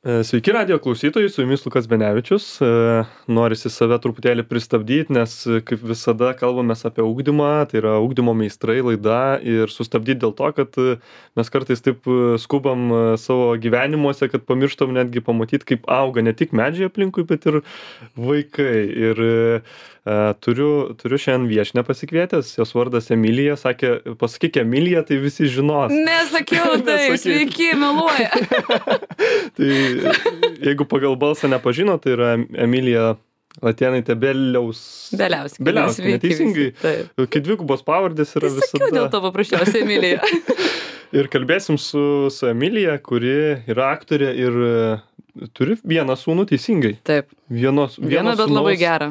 Sveiki radijo klausytojai, su jumis Lukas Benevičius. Norisi save truputėlį pristabdyti, nes kaip visada kalbamės apie ugdymą, tai yra ugdymo meistrai laida ir sustabdyti dėl to, kad mes kartais taip skubam savo gyvenimuose, kad pamirštam netgi pamatyti, kaip auga ne tik medžiai aplinkui, bet ir vaikai. Ir turiu šiandien viešinę pasikvietęs, jos vardas Emilija, sakė, pasakyk Emilija, tai visi žinos. Nesakiau tai, sveiki, meluoja. Tai jeigu pagal balsą nepažino, tai yra Emilija Latėnaitė Beliauskienė. Beliauskienė, neteisingai. Kai dvigubos pavardės yra visada. Sakiau dėl to paprasčiausiai Emilija. Ir kalbėsim su Emilija, kuri yra aktorė ir turi vieną sūnų, teisingai. Taip. Vieną, bet sūnaus... labai gerą.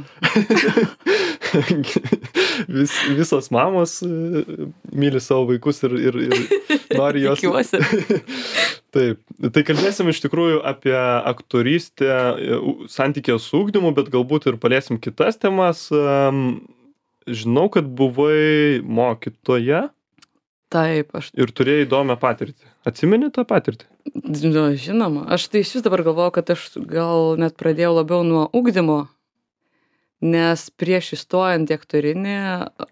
Visos mamos myli savo vaikus ir nori jos. Tikiuosi. Taip. Tai kalbėsim iš tikrųjų apie aktorystę, santykį su ugdymu, bet galbūt ir paliesim kitas temas. Žinau, kad buvai mokytoja. Taip, ir turėjai įdomią patirtį. Atsimeni tą patirtį? Nu, žinoma. Aš tai iš vis dabar galvoju, kad aš gal net pradėjau labiau nuo ugdymo, nes prieš įstojant į aktorinį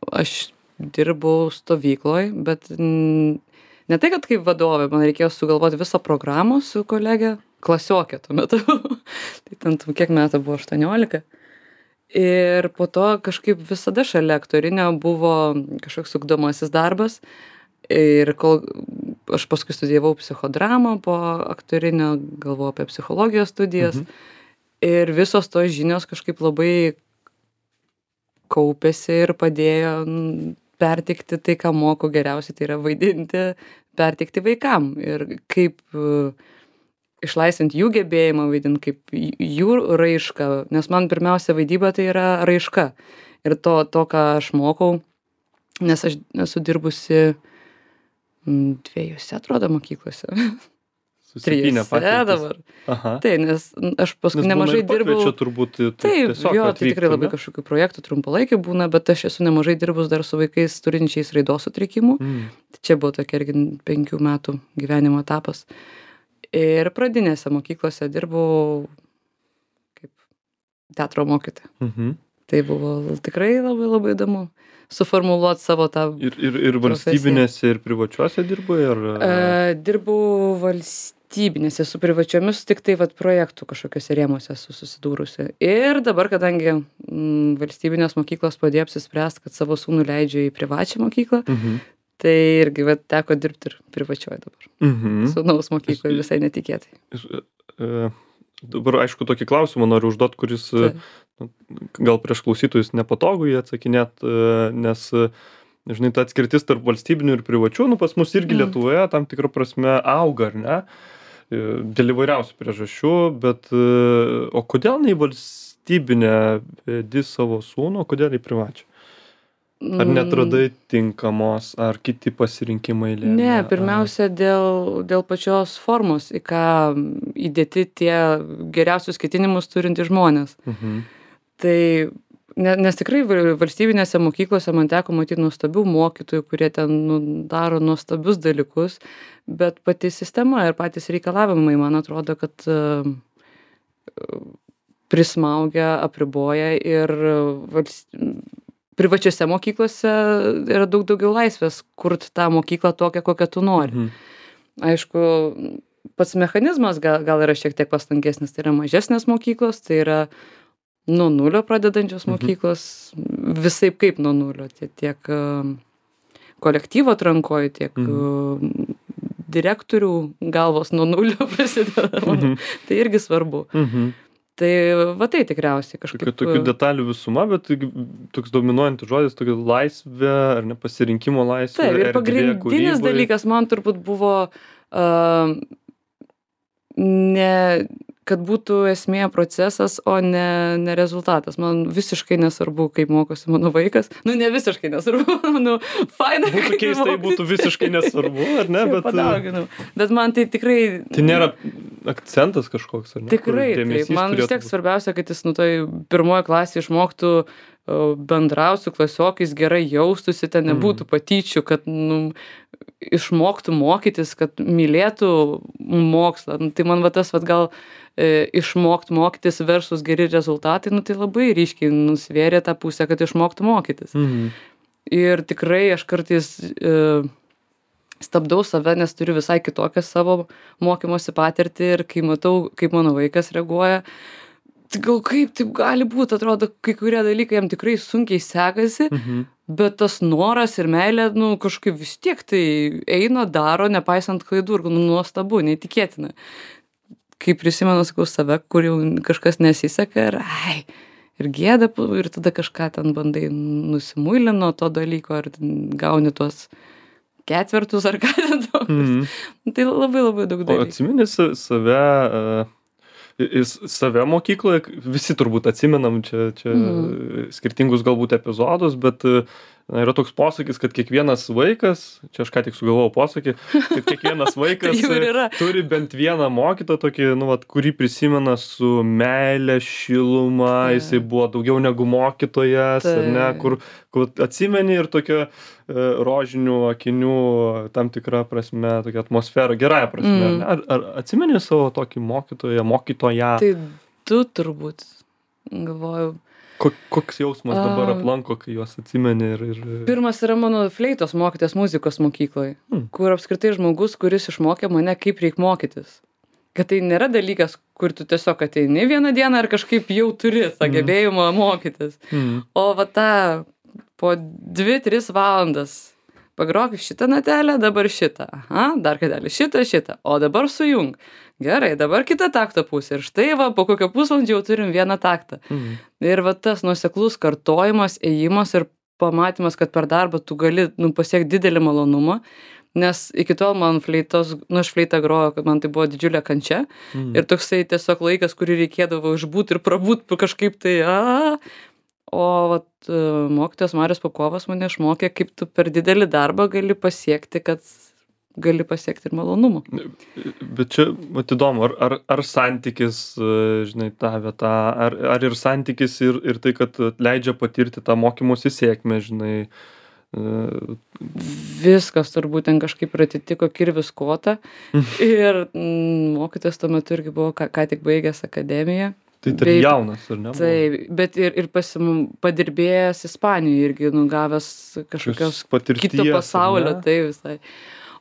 aš dirbau stovykloj, bet ne tai, kad kaip vadovė, man reikėjo sugalvoti visą programą su kolegė, klasiokė tuo metu. Tai ten kiek metų buvo, 18. Ir po to kažkaip visada šalia aktorinio buvo kažkoks ugdomasis darbas. Ir kol aš paskui studijavau psichodramą po aktorinio, galvojau apie psichologijos studijas. Ir visos tos žinios kažkaip labai kaupėsi ir padėjo perteikti tai, ką moku geriausiai, tai yra vaidinti, perteikti vaikam. Ir kaip išlaisvinti jų gebėjimą vaidinti, kaip jų raišką, nes man pirmiausia vaidyba tai yra raiška. Ir to, ką aš mokau, nes aš esu dirbusi 2, atrodo, mokyklose. Susipynę patirtis. Dabar. Aha. Tai, nes aš paskui nemažai dirbau. Turbūt, taip, jo, tai tikrai labai kažkokių projektų trumpalaikių būna, bet aš esu nemažai dirbus dar su vaikais turinčiais raidos sutrikimų. Tai čia buvo tokia irgi 5 metų gyvenimo etapas. Ir pradinėse mokyklose dirbau kaip teatro mokytoja. Tai buvo tikrai labai labai įdomu suformuluoti savo tą ir valstybinėse ir privačiuose dirbai? Dirbau valstybinėse, su privačiomis tik tai projektų kažkokiuose rėmuose esu susidūrusi. Ir dabar, kadangi valstybinės mokyklos padėjo apsispręsti, kad savo sūnų leidžia į privačią mokyklą, tai irgi teko dirbti ir privačioje dabar. Sūnaus mokykloje visai netikėtai. Dabar, aišku, tokį klausimą noriu užduoti, kuris gal prieš klausytojus nepatogu jį atsakinėt, nes, žinai, ta atskirtis tarp valstybinių ir privačių, pas mus irgi Lietuvoje tam tikrą prasme auga, ar ne? Dėl įvairiausių priežasčių, bet o kodėl ne į valstybinę vedi savo sūnų, o kodėl į privačią? Ar netradai tinkamos, ar kiti pasirinkimai lėmė? Ne, pirmiausia dėl pačios formos, į ką įdėti tie geriausius ketinimus turintys žmonės. Tai, nes tikrai valstybinėse mokyklose man teko matyti nuostabių mokytojų, kurie ten daro nuostabius dalykus, bet pati sistema ir patys reikalavimai, man atrodo, kad prismaugia, apriboja ir privačiose mokyklose yra daug daugiau laisvės kurti tą mokyklą tokią, kokią tu nori. Aišku, pats mechanizmas gal yra šiek tiek pastankesnis, tai yra mažesnės mokyklos, tai yra nuo nulio pradedančios mokyklos, visaip kaip nuo nulio, tiek kolektyvo atrankoje, tiek direktorių galvos nuo nulio prasideda. Tai irgi svarbu. Tai tai tikriausiai kažkaip. Tokių detalių visuma, bet toks dominuojantis žodis, tokia laisvė, ar ne, pasirinkimo laisvė. Taip, ir pagrindinis dalykas man turbūt buvo kad būtų esmė procesas, o ne rezultatas. Man visiškai nesvarbu, kaip mokosi mano vaikas. Ne visiškai nesvarbu, faina. Būtų keistai, būtų visiškai nesvarbu, ar ne? Bet man tai tikrai... Tai nėra akcentas kažkoks, ar ne? Tikrai, taip. Man vis tiek svarbiausia, kad jis pirmoje klasėje išmoktų bendrauti su klasiokais, gerai jaustųsi, ten nebūtų patyčių, kad išmoktų mokytis, kad mylėtų mokslą. Nu, tai man va tas vat gal išmokt mokytis versus geri rezultatai, nu tai labai ryškiai nusvėrė tą pusę, kad išmoktų mokytis. Ir tikrai aš kartais stabdau save, nes turiu visai kitokią savo mokymosi patirtį ir kai matau, kaip mano vaikas reaguoja, tai gal kaip taip gali būt, atrodo, kai kurie dalykai jam tikrai sunkiai sekasi, bet tas noras ir meilė, nu, kažkaip vis tiek tai eina, daro, nepaisant klaidų ir nuostabu, neįtikėtina. Kai prisimenu, sakau, save, kur jau kažkas nesiseka ir gėda, ir tada kažką ten bandai nusimuilint nuo to dalyko, ar gauni tuos ketvertus ar ką ten tokius. Tai labai labai daug dalykų. O atsimeni save mokykloje, visi turbūt atsimenam čia skirtingus galbūt epizodus, bet yra toks posakis, kad kiekvienas vaikas, čia aš ką tik sugalvojau posakį, kad kiekvienas vaikas turi bent vieną mokytoją tokį, nu, vat, kurį prisimena su meile, šiluma, jisai buvo daugiau negu mokytojas, ar ne, kur atsimeni ir tokia rožinių akinių tam tikrą prasme, tokia atmosfera, gerąją prasme. Ar atsimeni savo tokį mokytoją? Tai tu turbūt, galvoju. Koks jausmas dabar aplanko, kai juos atsimeni ir... Pirmas yra mano fleitos mokytojas muzikos mokykloje, kur apskritai žmogus, kuris išmokė mane, kaip reik mokytis. Kad tai nėra dalykas, kur tu tiesiog ateini vieną dieną ir kažkaip jau turi tą gebėjimą mokytis. O va tą po 2-3 valandas pagrok šitą natelę, dabar šitą. Dar kartelį šitą, o dabar sujung. Gerai, dabar kita takto pusė. Ir štai va, po kokio pusvalandžio jau turim vieną taktą. Ir va tas nuoseklus kartojimas, ėjimas ir pamatymas, kad per darbą tu gali pasiekti didelį malonumą. Nes iki tol man aš fleitą grojo, kad man tai buvo didžiulė kančia. Ir toksai tiesiog laikas, kurį reikėdavo išbūt ir prabūt kažkaip tai. O vat, mokytojas Marius Pakovas mane išmokė, kaip tu per didelį darbą gali pasiekti, kad gali pasiekti ir malonumą. Bet čia, vat įdomu, ar santykis, žinai, ta vieta, ar ir santykis ir tai, kad leidžia patirti tą mokymosi sėkmę, žinai. Viskas turbūt ten kažkaip atitiko kirvis kotą. Ir mokytojas tuo metu irgi buvo ką tik baigęs akademiją. Tai tarp jaunas, ar ne? Taip, bet ir padirbėjęs Ispanijoje irgi nugavęs kažkokios kito pasaulio, tai visai.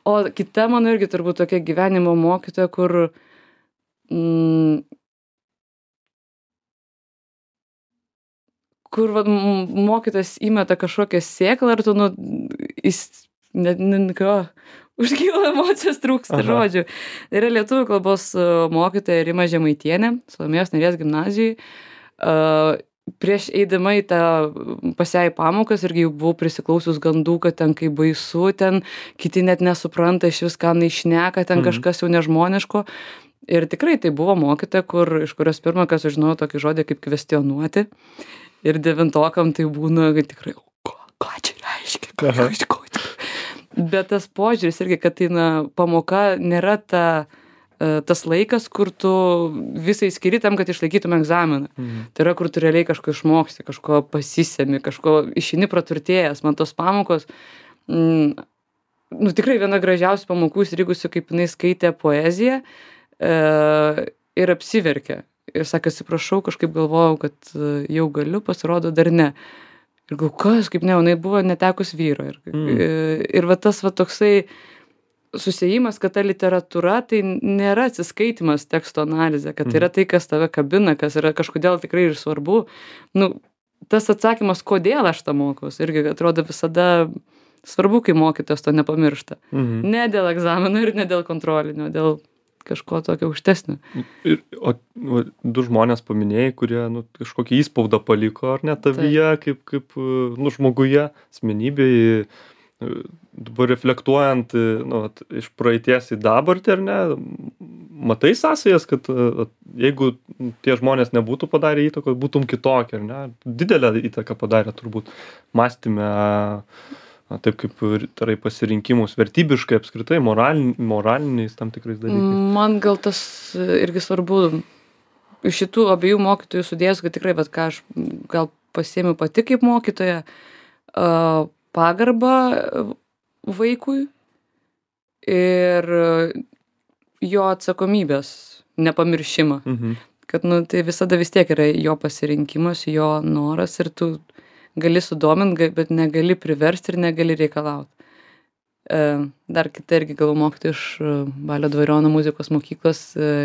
O kita mano irgi turbūt tokia gyvenimo mokytoja, kur mokytojas įmeta kažkokią sėklą ir tu, užkyla emocijos trūksta žodžių. Yra lietuvių kalbos mokytoja Rima Žemaitienė, Salomėjos Nėries gimnazijai. Prieš eidama į tą pas ją į pamokas irgi jau buvau prisiklausius gandų, kad ten kai baisu, ten kiti net nesupranta iš vis, ką šneka, ten kažkas jau nežmoniško. Ir tikrai tai buvo mokytoja, iš kurios pirmą, kas sužinojo tokį žodį kaip kvestionuoti. Ir 9-okam tai būna, kad tikrai, ką čia reiškia, Bet tas požiūris irgi, kad tai pamoka nėra tas laikas, kur tu visai skiri tam, kad išlaikytum egzaminą. Tai yra, kur tu realiai kažko išmoksti, kažko pasisemi, kažko išeini praturtėjęs. Man tos pamokos, tikrai viena gražiausių pamokų įstrigusių, kaip jinai skaitė poeziją ir apsiverkė. Ir sakė, atsiprašau, kažkaip galvojau, kad jau galiu, pasirodo dar ne. Ir galvoju, kas, kaip ne, jinai buvo netekus vyro. Ir va tas va toksai susiejimas, kad ta literatūra tai nėra atsiskaitimas teksto analizė, kad tai yra tai, kas tave kabina, kas yra kažkodėl tikrai ir svarbu. Tas atsakymas, kodėl aš tą mokaus, irgi atrodo visada svarbu, kai mokytojas to nepamiršta. Ne dėl egzamino ir ne dėl kontrolinio, dėl kažko tokio aukštesnio. O du žmonės paminėjai, kurie kažkokį įspaudą paliko, ar ne, tavyje, kaip žmoguje, asmenybėje. Dabar reflektuojant iš praeities į dabartį, ar ne, matai sąsajas, kad jeigu tie žmonės nebūtų padarę įtakos, būtum kitokie, ar ne? Didelę įtaką padarė turbūt mąstyme, taip kaip tarai pasirinkimus vertybiškai apskritai, moraliniais tam tikrais dalykais. Man gal tas irgi svarbu iš šitų abiejų mokytojų sudėjus, kad tikrai, bet ką aš gal pasiėmiau pati kaip mokytoja, pagarbą vaikui ir jo atsakomybės nepamiršimą. Kad, nu, tai visada vis tiek yra jo pasirinkimas, jo noras ir tu gali sudomint, bet negali priversti ir negali reikalauti. Dar kita irgi galvo mokytoja iš Balio Dvariono muzikos mokyklos,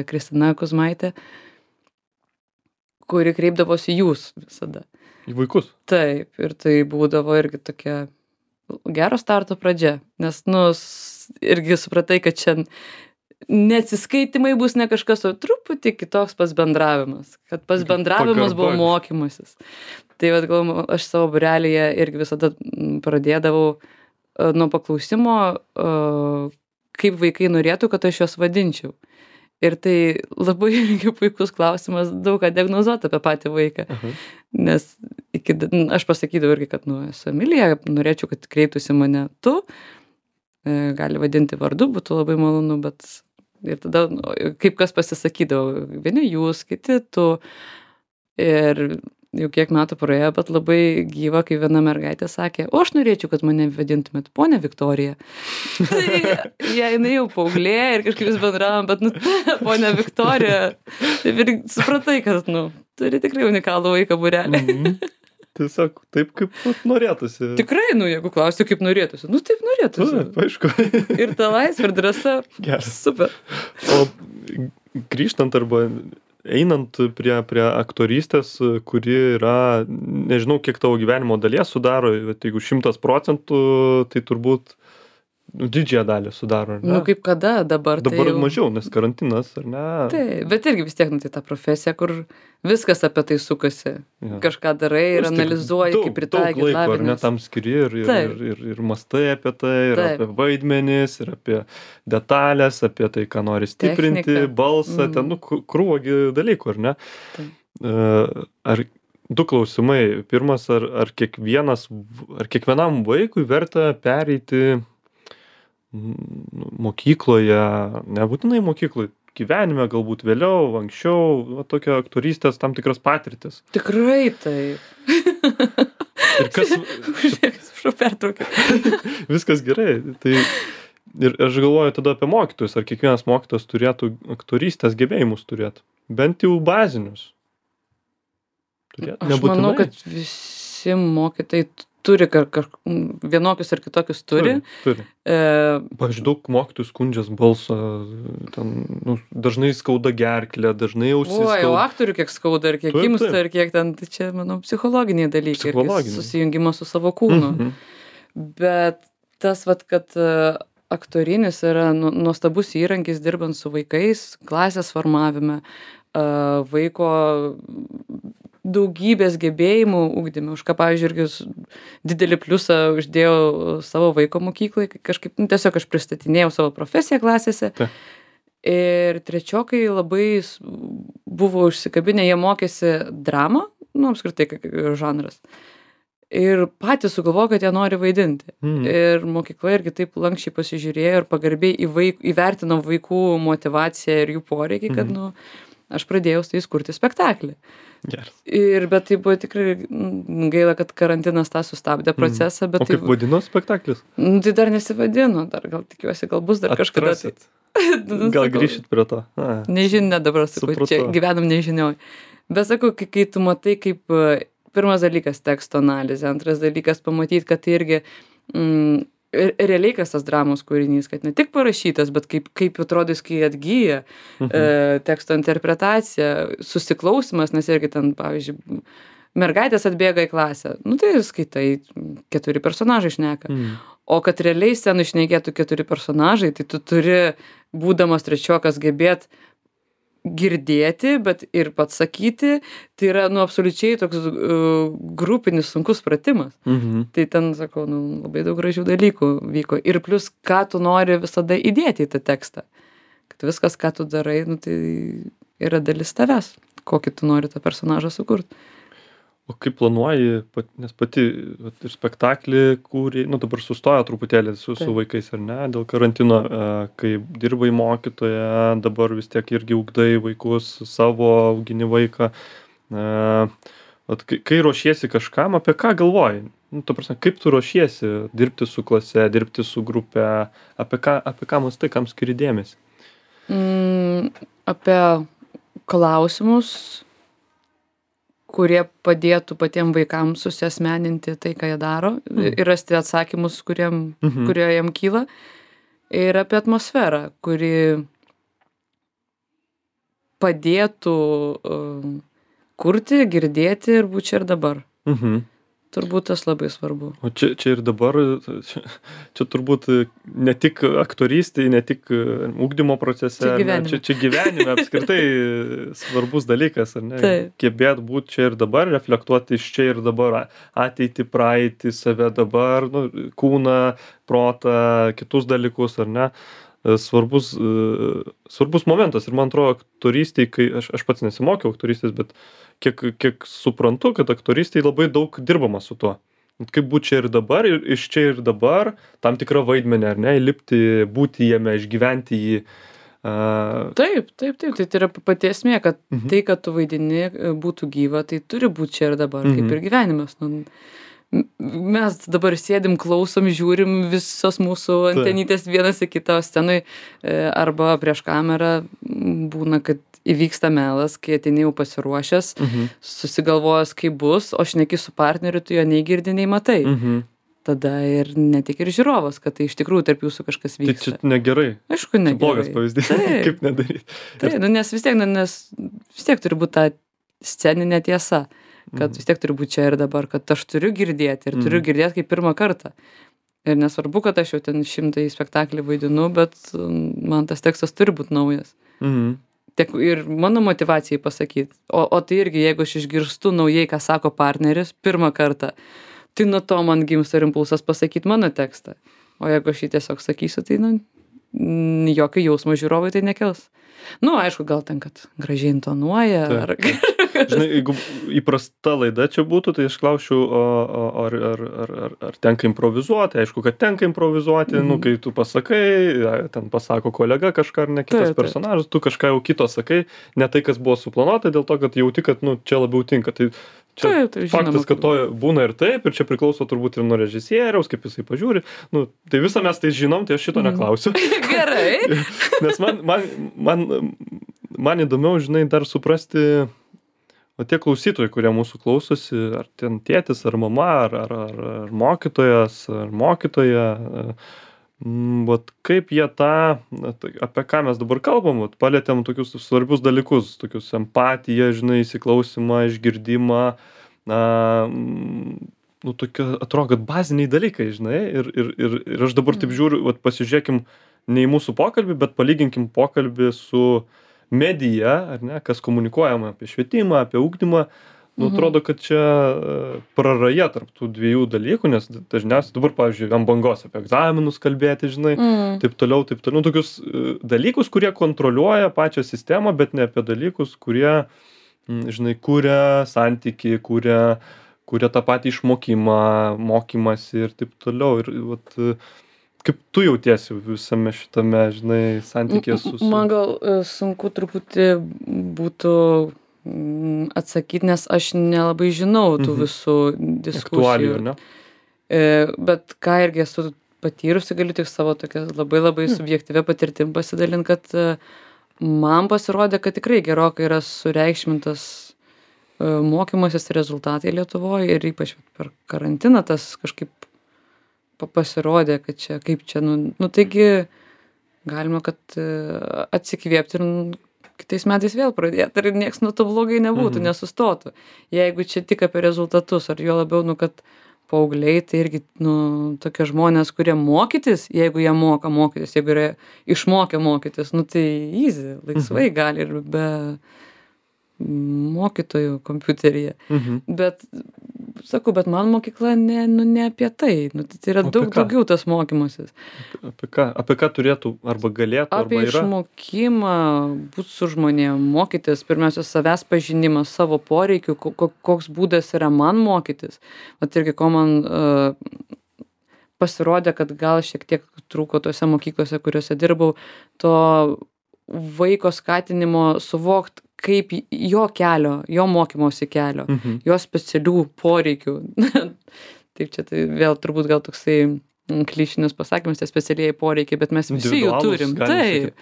Kristina Kuzmaitė, kuri kreipdavosi jūs visada. Į vaikus? Taip, ir tai būdavo irgi tokia gero starto pradžia, nes, nu, irgi supratai, kad čia neatsiskaitimai bus ne kažkas, o truputį kitoks pats bendravimas, kad pats bendravimas buvo mokymasis. Tai vat, galvoju, aš savo būrelyje irgi visada pradėdavau nuo paklausimo, kaip vaikai norėtų, kad aš juos vadinčiau. Ir tai labai irgi puikus klausimas, daug ką diagnozuoti apie patį vaiką. Nes aš pasakydavau irgi, kad, nu, esu Emilija, norėčiau, kad kreiptųsi mane tu, gali vadinti vardu, būtų labai malonu, bet ir tada, nu, kaip kas pasisakydavo, vieni jūs, kiti tu. Ir jau kiek metų praėjo, bet labai gyva, kai viena mergaitė sakė, o aš norėčiau, kad mane vadintumėt ponia Viktorija. Tai jinai jau paauglė ir kažkaip vis bendravom, bet, nu, ponia Viktorija, taip ir supratai, kad, nu, turi tikrai unikalų vaiką būrelį. Tiesiog taip, kaip norėtųsi. Tikrai, nu, jeigu klausiu, kaip norėtųsi, nu, taip norėtųsi. Aišku. Ir ta laisvė ir drąsa. Geras. Super. O grįžtant arba einant prie aktorystės, kuri yra, nežinau, kiek tavo gyvenimo dalies sudaro, bet jeigu 100%, tai turbūt didžiąją dalį sudaro, ar ne? Nu, kaip kada dabar? Dabar tai jau mažiau, nes karantinas, ar ne? Taip, bet irgi vis tiek, nu, tai ta profesija, kur viskas apie tai sukasi. Ja. Kažką darai ir analizuoji, kaip pritaikyti. Daug laiko, ar ne, tam skiri ir mastai apie tai, ir apie vaidmenis, ir apie detalės, apie tai, ką nori stiprinti, Technika. balsą, ten, nu, krūvagi dalykų, ar ne? Ar du klausimai. Pirmas, ar kiekvienam vaikui verta pereiti mokykloje, nebūtinai mokykloje, gyvenime, galbūt vėliau, anksčiau, tokia aktorystės tam tikras patirtis. Tikrai taip. Ir kas... Prašau, pertraukiu. Viskas gerai. Tai ir aš galvoju tada apie mokytojus. Ar kiekvienas mokytojas turėtų aktorystės gebėjimus turėti? Bent jau bazinius. Aš manau, kad visi mokytojai turi vienokius ar kitokius turi. Pavyzdžiui, daug mokytojų skundžias balsą, ten, nu, dažnai skauda gerklę, dažnai ausis skauda. Jau aktorių kiek skauda ir kiek imsta ir kiek ten, tai čia, manau, psichologiniai dalykai. Susijungimas su savo kūnu. Bet tas, vat, kad aktorinis yra nuostabus įrankis dirbant su vaikais, klasės formavime, vaiko daugybės gebėjimų ugdyme, už ką, pavyzdžiui, irgi didelį pliusą uždėjau savo vaiko mokyklai, kažkaip, nu, tiesiog aš pristatinėjau savo profesiją klasėse. Ir trečiokai labai buvo užsikabinę, jie mokėsi dramą, nu, apskritai, žanras. Ir patys sugalvojo, kad jie nori vaidinti. Ir mokykla irgi taip lankščiai pasižiūrėjo ir pagarbiai įvertino vaikų motyvaciją ir jų poreikį, kad, nu, aš pradėjau su jais kurti spektaklį. Geras. Bet tai buvo tikrai gaila, kad karantinas tą sustabdė procesą. Bet o kaip vadino spektaklis? Tai dar nesivadino, dar gal tikiuosi, gal bus dar kažkada. Gal grįšit prie to? Nežinia dabar, sakau, čia gyvenam nežinioj. Bet sakau, kai tu matai, kaip pirmas dalykas teksto analizė, antras dalykas pamatyti, kad tai irgi realiai kas tas dramos kūrinys, kad ne tik parašytas, bet kaip atrodys, kai atgyja teksto interpretacija, susiklausimas, nes irgi ten, pavyzdžiui, mergaitės atbėga į klasę, nu tai skaitai, 4 personažai šneka. O kad realiai scenai šnekėtų 4 personažai, tai tu turi, būdamas trečiokas, gebėt girdėti, bet ir pats sakyti, tai yra, nu, absoliučiai toks grupinis sunkus pratimas. Tai ten, sakau, nu, labai daug gražių dalykų vyko. Ir plus, ką tu nori visada įdėti į tą tekstą. Kad viskas, ką tu darai, nu, tai yra dalis tavęs, kokį tu nori tą personažą sukurti. O kaip planuoji, nes pati ir spektaklį kūrei, nu dabar sustojo truputėlį su vaikais, ar ne, dėl karantino, kai dirbai mokytoja, dabar vis tiek irgi ugdai vaikus, savo augini vaiką. vat kai ruošiesi kažkam, apie ką galvoji? Nu, ta prasme, kaip tu ruošiesi dirbti su klase, dirbti su grupe, apie ką mąstai, kam skiri dėmesį? Apie klausimus, kurie padėtų patiem vaikam susiasmeninti tai, ką jie daro ir rasti atsakymus, kurie jiem kyla. Ir apie atmosferą, kuri padėtų kurti, girdėti ir būt čia ir dabar. Turbūt tas labai svarbu. O čia ir dabar, čia turbūt ne tik aktorystėj, ne tik ugdymo procese, čia gyvenime apskritai svarbus dalykas, ar ne? Taip. Gebėt būt čia ir dabar, reflektuoti iš čia ir dabar, ateitį, praeitį, save dabar, nu, kūną, protą, kitus dalykus, ar ne? Svarbus momentas ir man atrodo aktorystėj, kai aš pats nesimokiau aktorystės, bet kiek suprantu, kad aktorystėj labai daug dirbama su tuo. Kaip būt čia ir dabar, ir iš čia ir dabar, tam tikrą vaidmenį, ar ne, įlipti, būti jame, išgyventi jį. Taip, tai yra pati esmė, kad tai, kad tu vaidini, būtų gyva, tai turi būti čia ir dabar, kaip ir gyvenimas. Nu, mes dabar sėdim, klausom, žiūrim visos mūsų antenytės vienas į kitą scenai arba prieš kamerą būna, kad įvyksta melas, kai ateini jau pasiruošęs, susigalvojęs, kaip bus, o šneki su partneriu, tu jo nei girdi, nei matai. Tada ir ne tik ir žiūrovas, kad tai iš tikrųjų tarp jūsų kažkas vyksta. Tai čia negerai. Aišku, negerai. Blogas pavyzdys, kaip nedaryti. Taip, nes vis tiek turi būti ta sceninė tiesa. Kad vis tiek turi būti čia ir dabar, kad aš turiu girdėti ir turiu girdėti kaip pirmą kartą. Ir nesvarbu, kad aš jau ten 100 spektaklį vaidinu, bet man tas tekstas turi būti naujas. Tiek ir mano motyvacijai pasakyti. O tai irgi, jeigu aš išgirstu naujai, ką sako partneris pirmą kartą, tai nuo to man gimsta ir impulsas pasakyti mano tekstą. O jeigu aš jį tiesiog sakysiu, tai jokio jausmo žiūrovai tai nekels. Nu, aišku, gal ten, kad gražiai intonuoja. Žinai, jeigu įprasta laida čia būtų, tai aš klausčiau, ar tenka improvizuoti. Aišku, kad tenka improvizuoti, nu, kai tu pasakai, ten pasako kolega kažką ar ne kitas personažas, tu kažką jau kito sakai, ne tai, kas buvo suplanuota, dėl to, kad jauti, kad nu, čia labiau tinka. Tai čia faktas, kad to būna ir taip, ir čia priklauso turbūt ir nuo režisieriaus, kaip jisai pažiūri. Nu, tai visą mes tai žinom, tai aš šito neklausiu. Gerai. Nes man įdomiau, žinai, dar suprasti, o tie klausytojai, kurie mūsų klausosi, ar ten tėtis, ar mama, ar mokytojas, ar mokytoja, vat kaip jie apie ką mes dabar kalbam, vat palietėm tokius svarbius dalykus, tokius empatiją, žinai, įsiklausimą, išgirdimą, nu, tokie, atrodo, kad baziniai dalykai, žinai, ir aš dabar taip žiūriu, vat pasižiūrėkim ne į mūsų pokalbį, bet palyginkim pokalbį su medija, ar ne, kas komunikuojama apie švietimą, apie ugdymą, nu, atrodo, kad čia praraja tarp tų dviejų dalykų, nes dažniausiai dabar, pavyzdžiui, ant bangos apie egzaminus kalbėti, žinai, taip toliau, nu, tokius dalykus, kurie kontroliuoja pačią sistemą, bet ne apie dalykus, kurie, žinai, kuria santykį, kuria tą patį išmokimą, mokymasi ir taip toliau. Ir vat, kaip tu jautiesi visame šitame, žinai, santykė su... Man gal sunku truputį būtų atsakyti, nes aš nelabai žinau tų visų diskusijų. Aktualijų, ne? Bet ką irgi esu patyrusi, galiu tik savo tokia labai subjektyvia patirtim pasidalinti, kad man pasirodė, kad tikrai gerokai yra sureikšmintas mokymasis rezultatai Lietuvoje ir ypač per karantiną tas kažkaip pasirodė, kad čia, kaip čia, nu taigi galima, kad atsikvėpti ir kitais metais vėl pradėti, ir nieks nuo to blogai nebūtų, nesustotų. Jeigu čia tik apie rezultatus, ar jo labiau, nu, kad paaugliai, tai irgi, nu, tokie žmonės, kurie mokytis, jeigu jie moka mokytis, jeigu yra išmokę mokytis, nu, tai easy, laisvai gali ir be mokytojų kompiuteryje. Bet, sakau, bet man mokykla ne apie tai. Nu, tai yra daug daugiau tas mokymasis. Apie ką turėtų arba galėtų, arba yra? Apie išmokimą, būt su žmonėm, mokytis, pirmiausia, savęs pažinimas, savo poreikių, koks būdas yra man mokytis. Vat irgi, ko man pasirodė, kad gal šiek tiek trūko tose mokyklose, kuriuose dirbau, to vaiko skatinimo suvokt, kaip jo kelio, jo mokymosi kelio, jo specialių poreikių. Taip čia tai vėl turbūt gal toksai klišinis pasakymas, tie specialieji poreikiai, bet mes visi jų turim. Taip,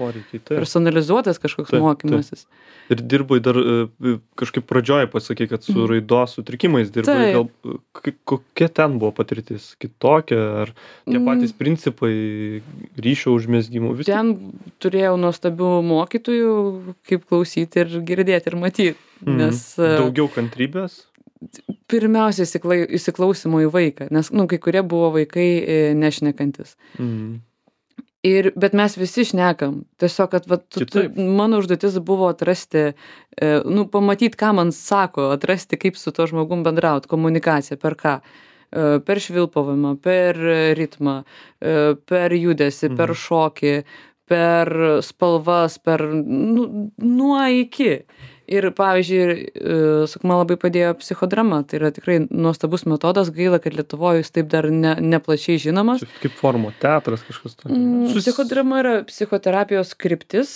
personalizuotas kažkoks mokymasis. Ir dirbai dar kažkaip pradžioje pasakė, kad su raidos sutrikimais dirbai. Gal kokia ten buvo patirtis? Kitokia? Ar tie patys principai ryšio užmezgimų? Ten turėjau nuostabių mokytojų, kaip klausyti ir girdėti ir matyti. Nes, daugiau kantrybės? Pirmiausia, įsiklausimo į vaiką, nes kai kurie buvo vaikai nešnekantis. Bet mes visi šnekam. Tiesiog, kad mano užduotis buvo atrasti, pamatyti, ką man sako, atrasti, kaip su to žmogum bendrauti, komunikacija, per ką. Per švilpavimą, per ritmą, per judesį, per šokį, per spalvas, per nuo iki. Ir, pavyzdžiui, man labai padėjo psichodrama. Tai yra tikrai nuostabus metodas. Gaila, kad Lietuvoje jis taip dar neplačiai žinomas. Kaip forma, teatras kažkas tokio. Psichodrama yra psichoterapijos kryptis,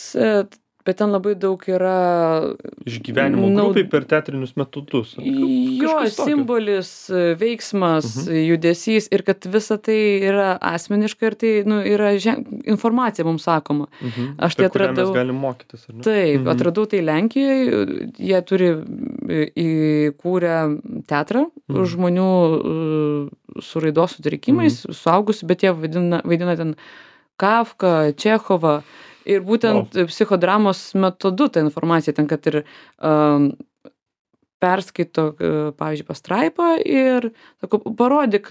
bet ten labai daug yra... Išgyvenimo grupiai per teatrinius metodus. Jo, simbolis, veiksmas, judesys ir kad visa tai yra asmeniška ir tai yra informacija mums sakoma. Aš tai atradau... Per kurią mes galim mokytis, ar ne? Taip, atradau tai Lenkijoje. Jie turi įkūrę teatrą žmonių su raidos sutrikimais, suaugusių, bet jie vaidina ten Kafką, Čechovą. Ir būtent psichodramos metodu ta informacija ten, kad ir perskaito, pavyzdžiui, pastraipą ir sako, parodyk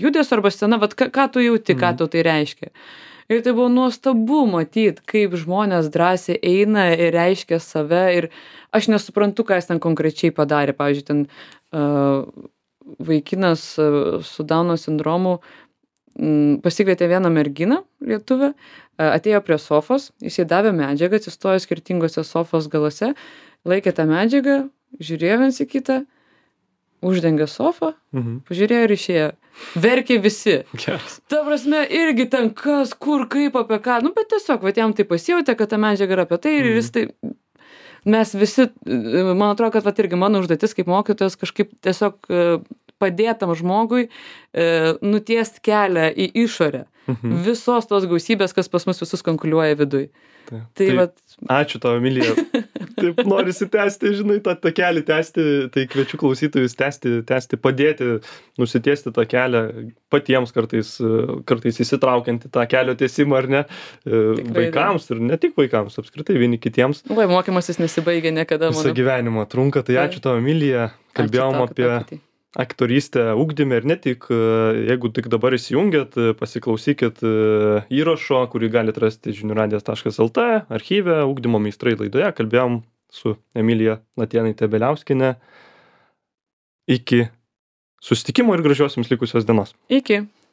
judesio arba sceną, ką tu jauti, ką tau tai reiškia. Ir tai buvo nuostabu matyti, kaip žmonės drąsiai eina ir reiškia save ir aš nesuprantu, ką jis ten konkrečiai padarė. Pavyzdžiui, ten vaikinas su Dauno sindromu pasikvietė vieną merginą, lietuvę, atėjo prie sofos, jis jai davė medžiagą, atsistojo skirtingose sofos galuose, laikė tą medžiagą, žiūrėjo viens į kitą, uždengė sofą, pažiūrėjo ir išėjo. Verkė visi. Ta prasme, irgi ten kas, kur, kaip, apie ką, bet tiesiog, jam tai pasijautė, kad ta medžiaga yra apie tai ir jis tai... Mes visi, man atrodo, kad irgi mano užduotis kaip mokytojas kažkaip tiesiog padėtam žmogui nutiest kelią į išorę. Visos tos gausybės, kas pas mus visus konkuliuoja viduj. Ačiū tau, Emilija. Taip norisi tęsti, žinai, tą kelią tęsti, tai kviečiu klausytojus tęsti, padėti, nusitiesti tą kelią patiems kartais įsitraukiant į tą kelio tiesimą, ar ne, vaikams ir ne tik vaikams, apskritai vieni kitiems. Mokymasis nesibaigia niekada. Visą gyvenimą trunka, tai ačiū tau, Emilija. Kalbėjom apie aktorystę ugdyme ir ne tik, jeigu tik dabar įsijungėt, pasiklausykit įrašo, kurį galite rasti žiniųradijas.lt archyve, ugdymo meistrai laidoje. Kalbėjom su Emilija Latėnaite Beliauskiene. Iki susitikimo ir gražios jums likusios dienos. Iki.